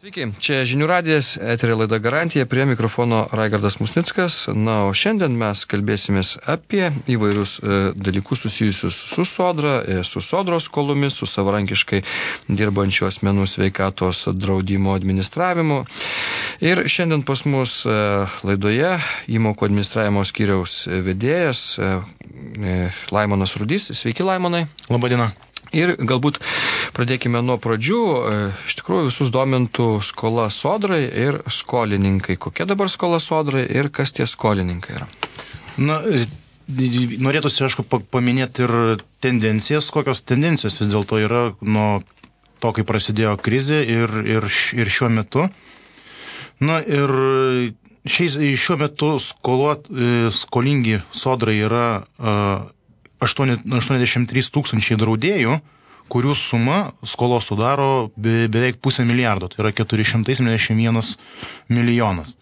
Sveiki, čia Žinių radijas, eterio laida Garantija, prie mikrofono Raigardas Musnickas. Na, o šiandien mes kalbėsimės apie įvairius dalykus susijusius su sodra, su sodros skolomis, su savarankiškai dirbančių asmenų sveikatos draudimo administravimu. Ir šiandien pas mus laidoje įmokų administravimo skyriaus vedėjas Laimonas Rudys. Sveiki, Laimonai. Labadiena. Ir galbūt pradėkime nuo pradžių. Iš tikrųjų visus domintų skola sodrai ir skolininkai. Kokia dabar skola sodrai ir kas tie skolininkai yra? Na, norėtųsi, aišku, paminėti ir tendencijas, kokios tendencijos vis dėlto yra nuo to, kai prasidėjo krizė ir šiuo metu. Na ir šiuo metu skolingi sodrai yra 83 tūkstančiai draudėjų, kurių suma skolos sudaro beveik pusę milijardo, tai yra 471 milijonas.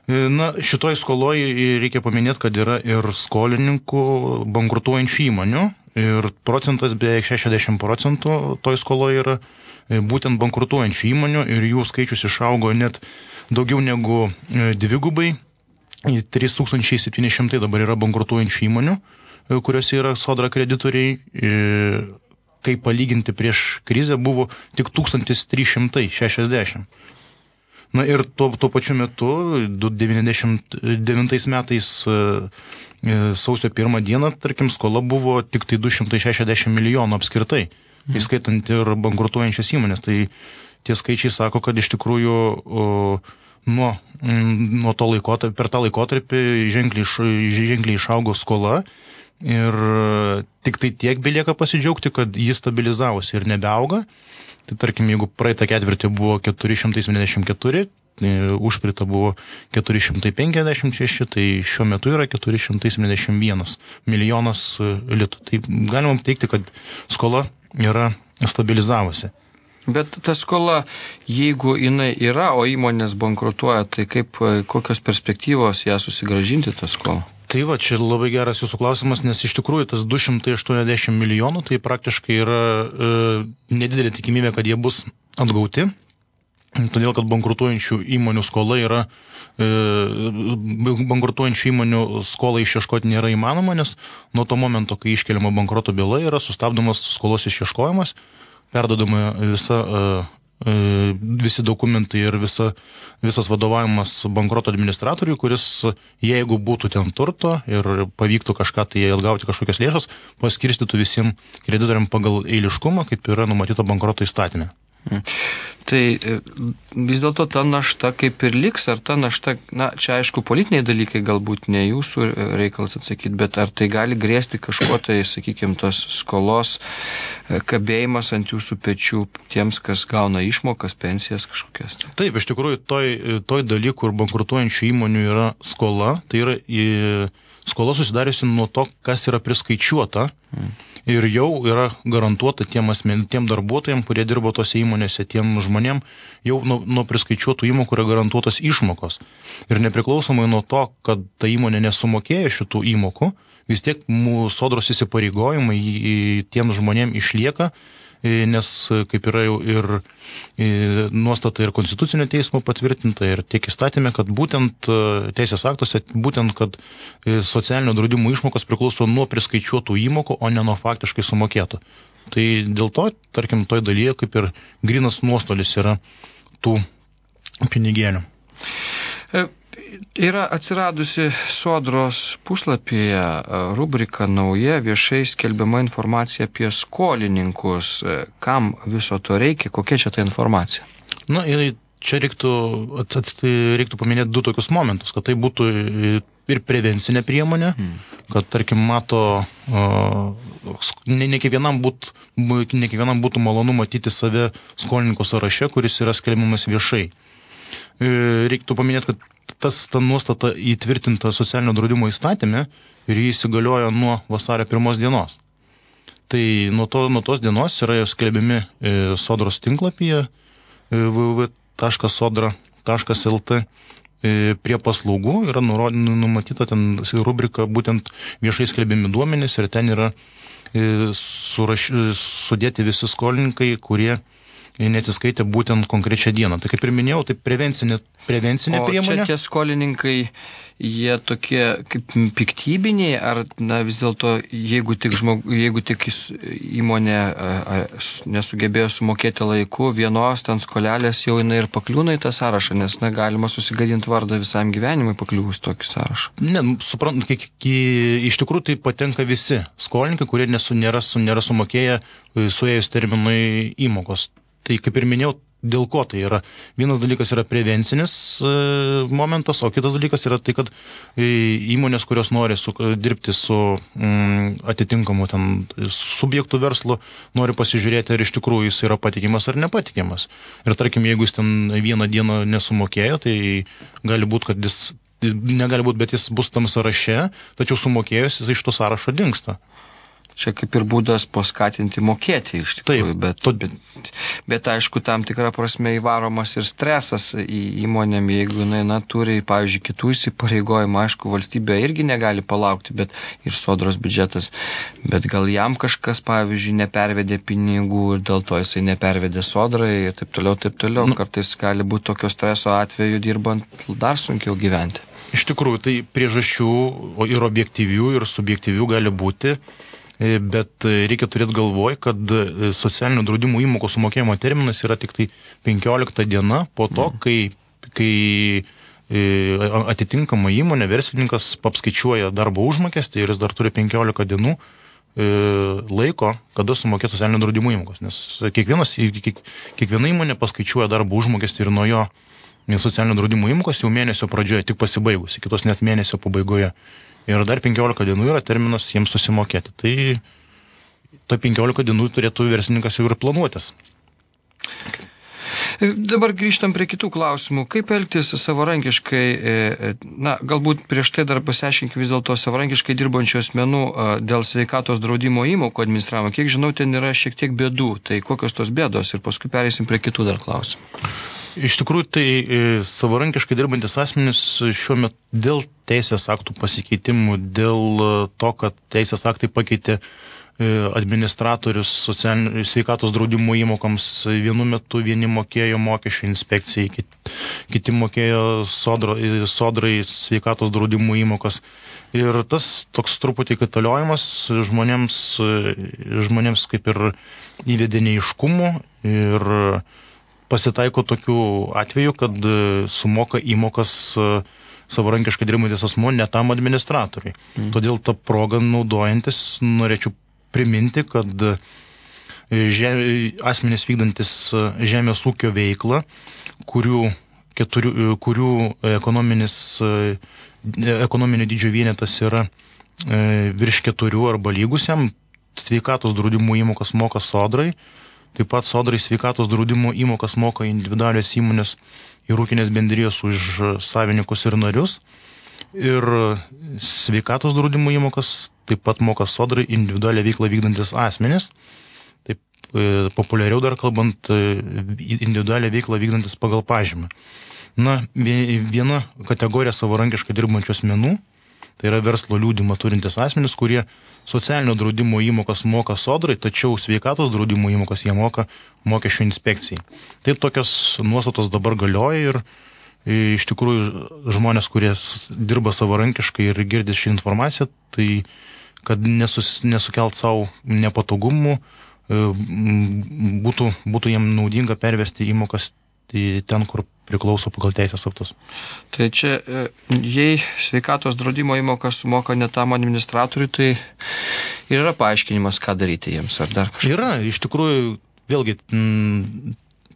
Na, šitoj skoloj reikia paminėti, kad yra ir skolininkų bankrutuojančių įmonių ir procentas beveik 60% toj skoloje yra būtent bankrutuojančių įmonių ir jų skaičius išaugo net daugiau negu dvigubai. 3700 dabar yra bankrutuojančių įmonių, kuriuose yra sodra kreditoriai, kai palyginti prieš krizę buvo tik 1360. Na ir tuo pačiu metu, 99 metais sausio 1 dieną, tarkim, skola buvo tik tai 260 milijonų apskritai, įskaitant ir bankrutuojančias įmonės. Tai tie skaičiai sako, kad iš tikrųjų nuo to laikotarpio, per tą laikotarpį ženkliai išaugo skola. Ir tik tai tiek belieka pasidžiaugti, kad jis stabilizavosi ir nebeauga. Tai tarkim, jeigu praeitą ketvirtį buvo 474, užpritą buvo 456, tai šiuo metu yra 471 milijonas litų. Tai galima teikti, kad skola yra stabilizavosi. Bet ta skola, jeigu jinai yra, o įmonės bankrutuoja, tai kokios perspektyvos ją susigrąžinti tą skolą? Tai va, čia labai geras jūsų klausimas, nes iš tikrųjų tas 280 milijonų, tai praktiškai yra nedidelė tikimybė, kad jie bus atgauti, todėl kad bankrutuojančių įmonių skola yra, bankrutuojančių įmonių skolą išieškoti nėra įmanoma, nes nuo to momento, kai iškeliama bankroto byla, yra sustabdomas skolos išieškojimas, perdodama visi dokumentai ir visas vadovavimas bankroto administratoriui, kuris, jeigu būtų ten turto ir pavyktų kažką tai atgauti kažkokias lėšas, paskirstytų visiems kreditoriams pagal eiliškumą, kaip yra numatyta bankroto įstatyme. Tai vis dėlto ta našta kaip ir liks, ar ta našta, na, čia aišku politiniai dalykai galbūt ne jūsų reikalas atsakyti, bet ar tai gali grėsti kažko tai, sakykime, tos skolos kabėjimas ant jūsų pečių tiems, kas gauna išmokas, pensijas kažkokias? Taip, iš tikrųjų, toj daly, kur bankrutuojančių įmonių yra skola, tai yra skola susidariusi nuo to, kas yra priskaičiuota. Ir jau yra garantuota tiem darbuotojams, kurie dirbo tose įmonėse, tiem žmonėm, jau nuo priskaičiuotų įmokų yra garantuotos išmokos. Ir nepriklausomai nuo to, kad ta įmonė nesumokėjo šitų įmokų, vis tiek mūsų sodros įsipareigojimai tiems žmonėm išlieka, nes kaip yra jau ir nuostata ir Konstitucinio teismo patvirtinta ir tiek įstatymė, kad būtent teisės aktuose, būtent, kad socialinio draudimo išmokos priklauso nuo priskaičiuotų įmokų, o ne nuo faktiškai sumokėtų. Tai dėl to, tarkim, toj dalyje kaip ir grynas nuostolis yra tų pinigėlių. Yra atsiradusi sodros puslapyje rubrika nauja, viešai skelbiama informacija apie skolininkus. Kam viso to reikia? Kokia čia ta informacija? Na, ir čia reiktų paminėti du tokius momentus, kad tai būtų ir prevencinė priemonė, kad, tarkim, ne kiekvienam būtų malonu matyti save skolininko sąraše, kuris yra skelbiamas viešai. Reiktų paminėti, kad ta nuostata įtvirtinta socialinio draudimo įstatyme ir jį įsigaliojo nuo vasario 1 dienos. Tai nuo tos dienos yra skelbiami sodros tinklapyje www.sodra.lt prie paslaugų yra numatyta ten rubrika būtent viešai skelbiami duomenys ir ten yra sudėti visi skolininkai, kurie neatsiskaitė būtent konkrečią dieną. Tai kaip ir minėjau, tai prevencinė priemonė. O čia tie skolininkai, jie tokie kaip piktybiniai, ar vis dėlto, jeigu tik įmonė nesugebėjo sumokėti laiku, vienos ten skolelės jau jinai ir pakliūna į tą sąrašą, nes galima susigadinti vardą visam gyvenimui pakliūvus tokį sąrašą. Ne, suprantu, iš tikrųjų tai patenka visi skolininkai, kurie nėra sumokėję suėjus terminui įmokos. Tai kaip ir minėjau, dėl ko tai yra. Vienas dalykas yra prevencinis momentas, o kitas dalykas yra tai, kad įmonės, kurios nori dirbti su atitinkamu ten subjektų verslu, nori pasižiūrėti, ar iš tikrųjų jis yra patikimas ar nepatikimas. Ir tarkim, jeigu jis ten vieną dieną nesumokėjo, tai gali būti, kad negali būti, bet jis bus tam sąraše, tačiau sumokėjus jis iš to sąrašo dingsta. Čia kaip ir būdas paskatinti mokėti iš tikrųjų, bet aišku, tam tikrą prasme įvaromas ir stresas į įmonėm, jeigu jinai turi, pavyzdžiui, kitų įsipareigojimų, aišku, valstybė irgi negali palaukti, bet ir sodros biudžetas, bet gal jam kažkas, pavyzdžiui, nepervedė pinigų ir dėl to jisai nepervedė sodrai ir taip toliau. Kartais gali būti tokio streso atveju dirbant dar sunkiau gyventi. Iš tikrųjų, tai priežasčių ir objektyvių, ir subjektyvių gali būti. Bet reikia turėti galvoj, kad socialinio draudimo įmokos sumokėjimo terminas yra tik tai 15 diena po to, kai atitinkama įmonė, verslininkas apskaičiuoja darbo užmokestį ir jis dar turi 15 dienų laiko, kada sumokėti socialinio draudimo įmokos. Nes kiekviena įmonė paskaičiuoja darbo užmokestį ir nuo jo socialinio draudimo įmokos jau mėnesio pradžioje, tik pasibaigus, kitos net mėnesio pabaigoje. Ir dar 15 dienų yra terminas jiems susimokėti. Tai 15 dienų turėtų verslininkas jau ir planuotis. Dabar grįžtam prie kitų klausimų. Kaip elgtis savarankiškai, galbūt prieš tai dar pasiaiškinti vis dėlto savarankiškai dirbančių asmenų dėl sveikatos draudimo įmokų administravimo. Kiek žinau, ten yra šiek tiek bėdų. Tai kokios tos bėdos ir paskui pereisim prie kitų dar klausimų. Iš tikrųjų, tai savarankiškai dirbantis asmenys šiuo metu dėl teisės aktų pasikeitimų, dėl to, kad teisės aktai pakeitė administratorius sveikatos draudimo įmokoms, vienu metu vieni mokėjo mokesčių inspekcijai, kiti mokėjo sodrai sveikatos draudimo įmokas. Ir tas toks truputį kaitaliojimas žmonėms kaip ir įvedė neaiškumų ir pasitaiko tokių atvejų, kad sumoka įmokas savarankiškai dirbantis asmuo ne tam administratoriui. Todėl tą progą naudojantis norėčiau priminti, kad asmenys vykdantis žemės ūkio veiklą, kurių ekonominio dydžio vienetas yra virš 4 arba lygus jam, sveikatos draudimo įmokas moka sodrai. Taip pat sodrai sveikatos draudimo įmokas moka individualios įmonės ir ūkinės bendrijos už savininkus ir narius. Ir sveikatos draudimo įmokas taip pat moka sodrai individualią veiklą vykdantis asmenys. Taip populiariau dar kalbant, individualią veiklą vykdantis pagal pažymą. Viena kategorija savarankiškai dirbančių asmenų, tai yra verslo liudijimą turintis asmenys, kurie socialinio draudimo įmokas moka sodrai, tačiau sveikatos draudimo įmokas jie moka mokesčių inspekcijai. Tai tokios nuostatos dabar galioja ir iš tikrųjų žmonės, kurie dirba savarankiškai ir girdi šį informaciją, tai kad nesukelt savo nepatogumų, būtų jiem naudinga pervesti įmokas ten, kur priklauso pagal teisės aktus. Tai čia, jei sveikatos draudimo įmokas sumoka ne tam administratoriui, tai yra paaiškinimas, ką daryti jiems, ar dar kažką? Yra, iš tikrųjų, vėlgi,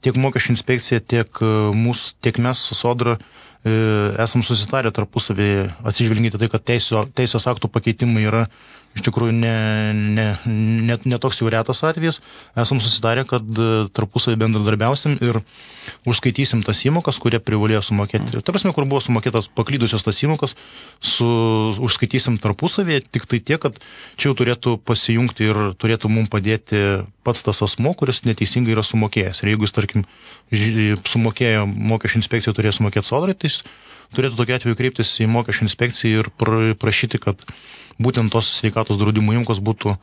tiek mokesčių inspekcija, tiek mes su sodra esam susitarę tarpusavį atsižvelginti tai, kad teisės aktų pakeitimai yra iš tikrųjų ne toks jau retas atvejis. Esam susitarę, kad tarpusavį bendradarbiausim ir užskaitysim tas įmokas, kurie privalėjo sumokėti. Ta prasme, kur buvo sumokėtas paklydusios tas įmokas, užskaitysim tarpusavį, tik tai tiek, kad čia jau turėtų pasijungti ir turėtų mums padėti pats tas asmo, kuris neteisingai yra sumokėjęs. Ir jeigu jis, tarkim, sumokėjo mokesčių inspekciją, turėjo sumokėti sodrai, tai jis turėtų tokiu atveju kreiptis į mokesčių inspekciją ir prašyti, kad būtent tos sveikatos draudimo įmokos būtų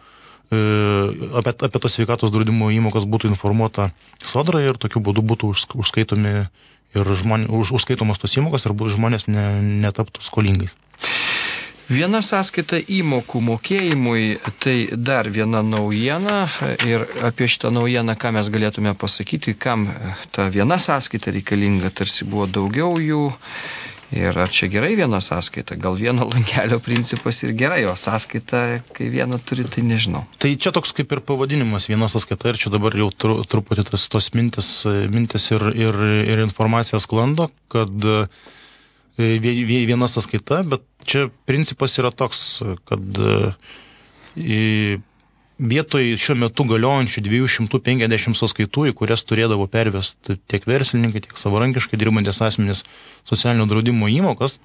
apie tas sveikatos draudimo įmokas būtų informuota sodra ir tokiu būdu būtų užskaitomi ir užskaitomos tos įmokos ir žmonės netaptų skolingais. Viena sąskaita įmokų mokėjimui, tai dar viena naujiena ir apie šitą naujieną, ką mes galėtume pasakyti, kam ta viena sąskaita reikalinga, tarsi buvo daugiau jų ir ar čia gerai viena sąskaita, gal vieno langelio principas ir gerai, o sąskaita, kai vieną turi, tai nežinau. Tai čia toks kaip ir pavadinimas viena sąskaita ir čia dabar jau truputį tos mintis ir informacija sklando, kad viena sąskaita, bet čia principas yra toks, kad vietoj šiuo metu galiojančių 250 sąskaitų, į kurias turėdavo pervesti tiek verslininkai, tiek savarankiškai dirbantis asmenys socialinio draudimo įmokas,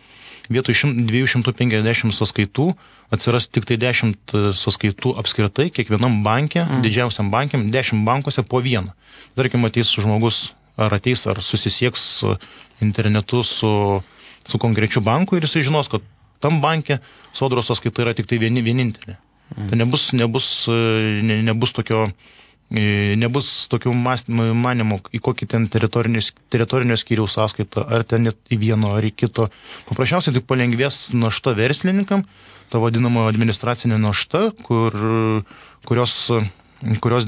vietoj 250 sąskaitų atsiras tik tai 10 sąskaitų apskritai, kiekvienam banke, didžiausiam bankiam, 10 bankuose po vieną. Tarkim, ateis žmogus, ar susisieks internetu su konkrečiu banku ir jisai žinos, kad tam banke sodros sąskaita yra tik tai vienintelė. Tai nebus tokio manimo, į kokį ten teritorinio skyriaus sąskaitą, ar ten net į vieno, ar į kito. Paprasčiausiai tik palengvės našta verslininkam, ta vadinama administracinė našta, kurios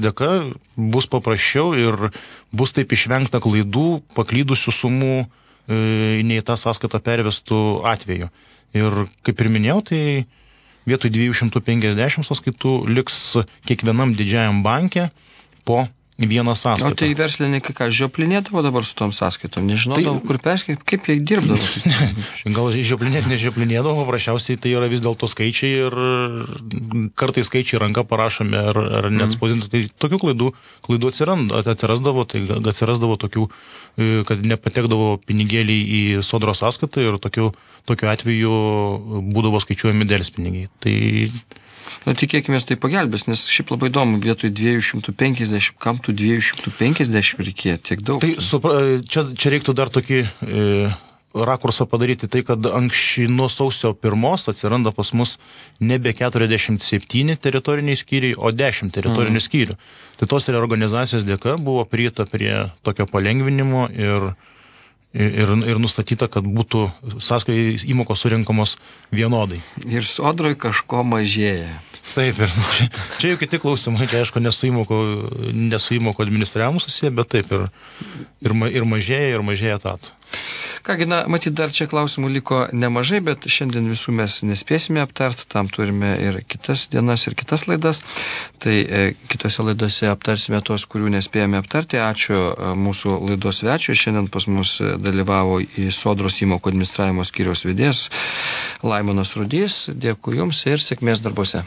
dėka bus paprasčiau ir bus taip išvengta klaidų, paklydusių sumų nei tą sąskaitą pervestų atveju. Ir kaip ir minėjau, tai vietoj 250 sąskaitų liks kiekvienam didžiajam banke po vieną sąskaitą. O tai verslininkai ką, žioplinėdavo dabar su tom sąskaitom? Nežinodavo, kur perskait, kaip jie dirbdavo? Gal nežioplinėdavo, paprasčiausiai tai yra vis dėlto skaičiai ir kartais skaičiai ranka parašomi ar net spausdinti. Tai tokių klaidų atsirasdavo, tai atsirasdavo tokių, kad nepatekdavo pinigėliai į sodros sąskaitą ir tokiu atveju būdavo skaičiuojami delspinigiai. Tai tikėkime, tai pagelbės, nes šiaip labai įdomu, vietoj 250, kam tų 250 reikėjo tiek daug? Tai čia reiktų dar tokį rakursą padaryti, tai kad anksčiau nuo sausio 1 atsiranda pas mus nebe 47 teritoriniai skyriai, o 10 teritorinių skyrių. Tai tos reorganizacijos dėka buvo prieita prie tokio palengvinimo ir nustatyta, kad būtų sąskaitų įmokos surinkamos vienodai. Ir sodroj kažko mažėja. Taip, ir čia jau kiti klausimai, tai aišku, nesu įmoko administravimu susiję, bet taip, ir mažėja etatų. Kągi, matyt, dar čia klausimų liko nemažai, bet šiandien visų mes nespėsime aptarti, tam turime ir kitas dienas, ir kitas laidas. Tai kitose laidose aptarsime tos, kurių nespėjome aptarti. Ačiū mūsų laidos svečiui. Šiandien pas mus dalyvavo į Sodros įmokų administravimo skyriaus vedėjas Laimonas Rudys. Dėkui Jums ir sėkmės darbuose.